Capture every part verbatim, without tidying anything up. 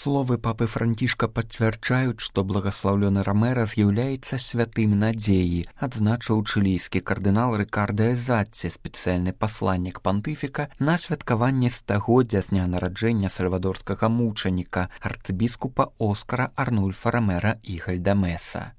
Словы папы Францішка пацвярджаюць, што благаслаўлёны Ромера з'яўляецца святым надзеі, адзначыў чылійскі кардынал Рикардо Эзатти, спецыяльны пасланнік пантыфіка на святкаванне стагоддзя з дня нараджэння сальвадорскага мучаніка, арцыбіскупа Оскара Арнульфа Ромера і Гальдамеса.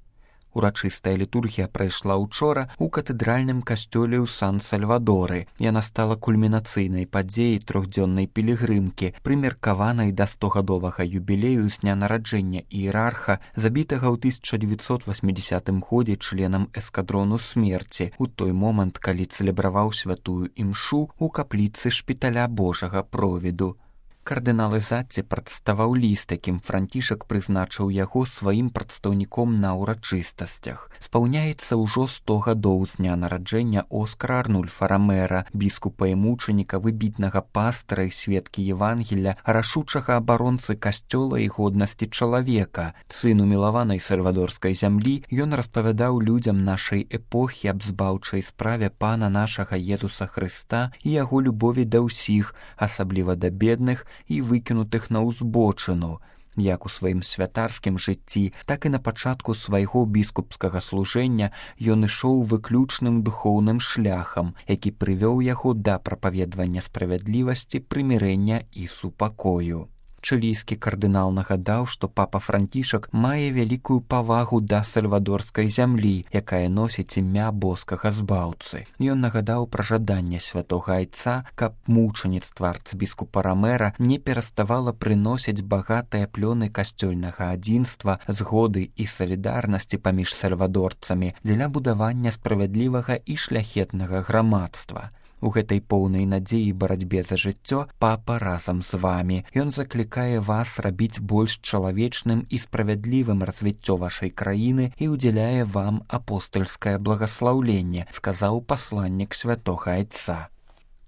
Урачыстая літургія прайшла ўчора ў катэдральным касцёле ў Сан-Сальвадоры. Яна стала кульмінацыйнай падзеяй трохдзённай пілігрымкі, прымеркаванай да стогадовага юбілею з дня нараджэння іерарха, забітага ў тысяча дзевяцьсот васьмідзясятым годзе членам эскадрону смерці, у той момант, калі цэлебраваў святую імшу ў капліцы шпіталя Божага Провіду. Кардынал Эзатти прадставаў ліст, якім Францішак прызначыў яго сваім прадстаўніком на ўрачыстасцях. Спаўняецца ўжо сто гадоў з дня нараджэння Оскара Арнульфа Ромера, біскупа і мучаніка, выбітнага пастара і сведкі Евангелля, рашучага абаронцы касцёла і годнасці чалавека. Сыну мілаванай сальвадорскай зямлі, ён распавядаў людзям нашай эпохі аб збаўчай справе Пана нашага Езуса Хрыста і яго любові да ўсіх, асабліва да бедных і выкінутых на ўзбочыну. Як у сваім святарскім жыцці, так і на пачатку свайго біскупскага служэння ён ішоў выключным духоўным шляхам, які прывёў яго да прапаведвання справядлівасці, прымірэння і супакою. Чылійскі кардынал нагадаў, што папа Францішак мае вялікую павагу да сальвадорскай зямлі, якая носіць імя боскага збаўцы. Ён нагадаў пра жаданне святога айца, каб мучаніцтва арцыбіскупа Ромера не пераставала прыносіць багатыя плёны касцёльнага адзінства, згоды і салідарнасці паміж сальвадорцамі дзеля будавання справядлівага і шляхетнага грамадства. У гэтай поўнай надзеі барацьбе за жыццё папа разам з вамі. Ён заклікае вас рабіць больш чалавечным і справядлівым развіццё вашай краіны і ўдзяляе вам апостальскае благаслаўленне, сказаў пасланнік святога айца.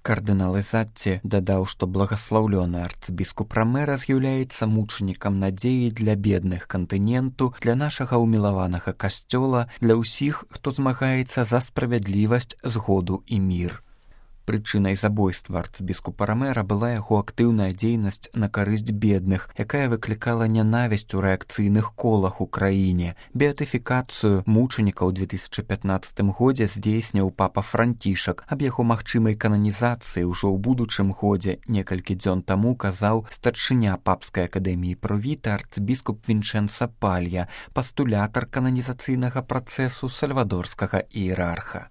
Кардынал Эзатти дадаў, што благаслаўлёны арцыбіскуп Ромера з'яўляецца мучанікам надзеі для бедных кантыненту, для нашага ўмілаванага касцёла, для ўсіх, хто змагаецца за справядлівасць, згоду і мір. Прычынай забойства арцыбіскупа Ромера была яго актыўная дзейнасць на карысць бедных, якая выклікала нянавісць у рэакцыйных колах у краіне. Беатыфікацыю мучаніка ў две тысячы пятнаццатым годзе здзейсніў папа Францішак. Аб яго магчымай кананізацыі ўжо ў будучым годзе некалькі дзён таму казаў старшыня папскай акадэміі Провіта арцыбіскуп Вінчэнца Палья, пастулятар кананізацыйнага працэсу сальвадорскага іерарха.